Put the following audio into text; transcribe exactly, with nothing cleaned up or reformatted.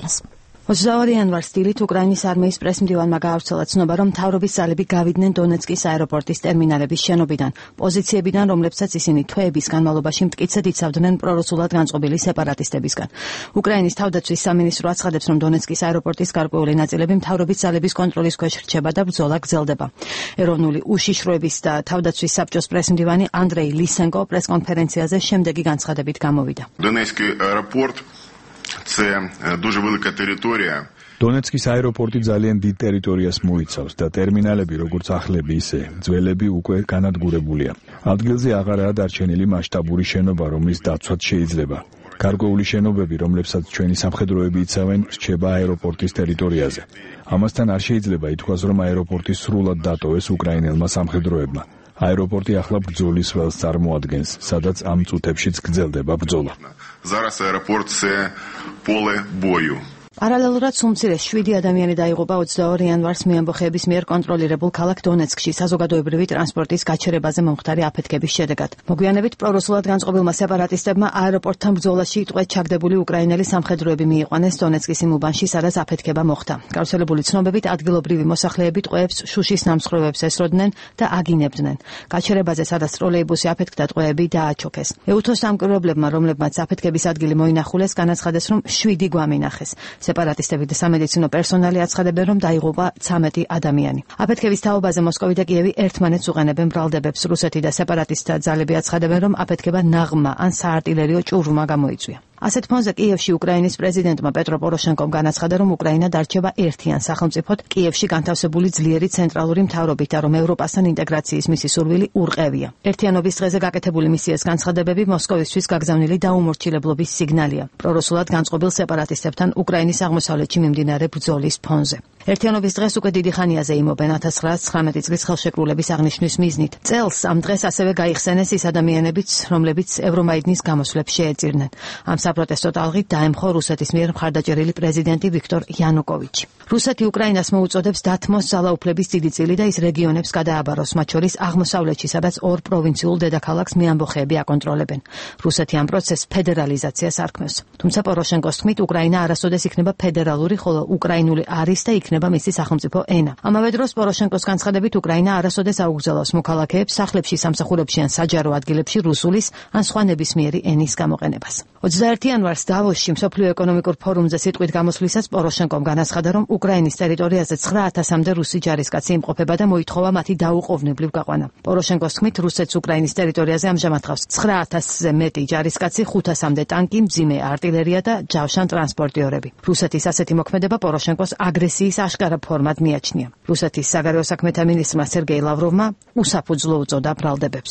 ტერიტორიას. ოცდაორი იანვარს დილით უკრაინის არმიის პრესმდივანმა გაავრცელა ცნობა, რომ მთავრობის ძალები გავიდნენ დონეცკის აეროპორტის ტერმინალების შენობიდან, პოზიციებიდან, რომლებსაც ისინი თვეების განმავლობაში მტკიცედ იცავდნენ პრორუსულად განწყობილი სეპარატისტებისგან. უკრაინის თავდაცვის სამინისტრო აცხადებს, რომ დონეცკის აეროპორტის გარკვეული ნაწილები მთავრობის ძალების კონტროლის ქვეშ რჩება და ბრძოლა გრძელდება. ეროვნული უშიშროების და თავდაცვის საბჭოს პრესმდივანი ანდრეი ლისენკო პრესკონფერენციაზე შემდეგი განცხადებით გამოვიდა. Донецький аеропорт це дуже велика територія. დონეცკის აეროპორტი ძალიან დიდ ტერიტორიას მოიცავს და ტერმინალები, როგორც ახლები, ისე ძველები უკვე განადგურებულია. ადგილზე აღარაა დარჩენილი მასშტაბური შენობა, რომლის დაცვაც შეიძლება. გარკვეული შენობები, რომლებსაც ჩვენი სამხედროები იცავენ, რჩება აეროპორტის ტერიტორიაზე. ამასთან არ შეიძლება ითქვას, რომ აეროპორტი სრულად დატოვეს უკრაინელმა სამხედროებმა. აეროპორტი ახლა ბრძოლის ველს წარმოადგენს, სადაც ამ წუთებშიც გრძელდება ბრძოლა. Зараз аеропорт це поле бою. პარალელურად სუმცირეს შვიდი ადამიანი დაიღუპა ოცდაორი იანვარს მეამბოხეების მიერ კონტროლირებულ ქალაქ დონეცკში საზოგადოებრივი ტრანსპორტის გაჩერებაზე მომხდარი აფეთქების შედეგად. მოგვიანებით პრორუსულად განწყობილმა სეპარატისტებმა აეროპორტთან ბრძოლაში ტყვედ ჩაგდებული უკრაინელი სამხედროები მიიყვანეს დონეცკის იმ უბანში, სადაც აფეთქება მოხდა. გავრცელებული ცნობებით ადგილობრივი მოსახლეები ტყვეებს შუშის ნამსხვრევებს ესროდნენ და აგინებდნენ. გაჩერებაზე, სადაც ტროლეიბუსი აფეთქდა, ტყვეები დააჩოქეს. ეუთოს სამკურვებლებმა, რომლებმაც აფეთქების ადგილი მოინახულეს, განაცხადეს, რომ შვიდი გვამინახეს. სეპარატისტები და სამედიცინო პერსონალი აცხადებენ, რომ დაიღუპა ცამეტი ადამიანი. აფეთქების თაობაზე მოსკოვი და კიევი ერთმანეთს უყენებენ ბრალდებებს. რუსეთი და სეპარატისტთა ძალები აცხადებენ, რომ აფეთქება ნაღმა ან საარტილერიო ჭურვმა გამოიწვია. ასეთ ფონზე კიევში უკრაინის პრეზიდენტმა პეტრო პოროშენკომ განაცხადა, რომ უკრაინა დარჩება ერთიან სახელმწიფოდ კიევში განთავსებული ძლიერი ცენტრალური მთავრობით და რომ ევროპასთან ინტეგრაციის მისი სურვილი ურყევია. ერთიანობის დღეზე გაკეთებული მისიას განცხადებები მოსკოვისთვის გაგზავნილი დაუმორჩილებლობის სიგნალია პრორუსულად განწყობილ სეპარატისტებთან უკრაინის აღმოსავლეთში მიმდინარე ბრძოლის ფონზე. ერთიანობის დღეს უკვე დიდი ხანია ზეიმობენ ათას ცხრაასი ცხრამეტი წლის ხელშეკრულების აღნიშვნის მიზნით. წელს ამ დღეს ასევე გაიხსენეს ის ადამიანებიც, რომლებიც ევრომაიდნის გამოსვლებს შეეწირნენ. ამ საპროტესტო ტალღით დაემხო რუსეთის მიერ მხარდაჭერილი პრეზიდენტი ვიქტორ იანუკოვიჩი. რუსეთი უკრაინას მოუწოდებს დათმოს ძალაუფლების დიდი წილი და ის რეგიონებს გადააბაროს, მათ შორის აღმოსავლეთში, სადაც ორ პროვინციულ დედაქალაქს მეამბოხეები აკონტროლებენ. რუსეთი ამ პროცესს ფედერალიზაციას არქმევს. თუმცა პოროშენკოს თქმით, უკრაინა არასოდეს იქნება ფედერალური, ხოლო უკრაინული არის და იქნება მისი სახელმწიფო ენა. ამავე დროს პოროშენკოს განცხადებით, უკრაინა არასოდეს აუგზავნოს მოქალაქეებს სახლებში, სამსახურებში ან საჯარო ადგილებში რუსულის ან სხვა ნებისმიერი ენის გამოყენებას. ოცდაერთი იანვარს დავოსში მსოფლიო ეკონომიკურ ფორუმზე სიტყვით გამოსვლისას პოროშენკომ განაცხადა, რომ უკრაინის ტერიტორიაზე ცხრა ათასამდე რუსი ჯარისკაცი იმყოფება და მოითხოვა მათი დაუყოვნებლივ გაყვანა. პოროშენკოს თქმით, რუსეთს უკრაინის ტერიტორიაზე ამჟამად ხავს ცხრა ათასზე მეტი ჯარისკაცი, ხუთასამდე ტანკი, მძიმე არტილერია და ჯავშან ტრანსპორტიორები. რუსეთის ასეთი მოქმედება პოროშენკოს აგრესიის აშკარა ფორმად მიაჩნია. რუსეთის საგარეო საქმეთა მინისტრმა სერგეი ლავროვმა უსაფუძვლო უწოდა ბრალდებებს.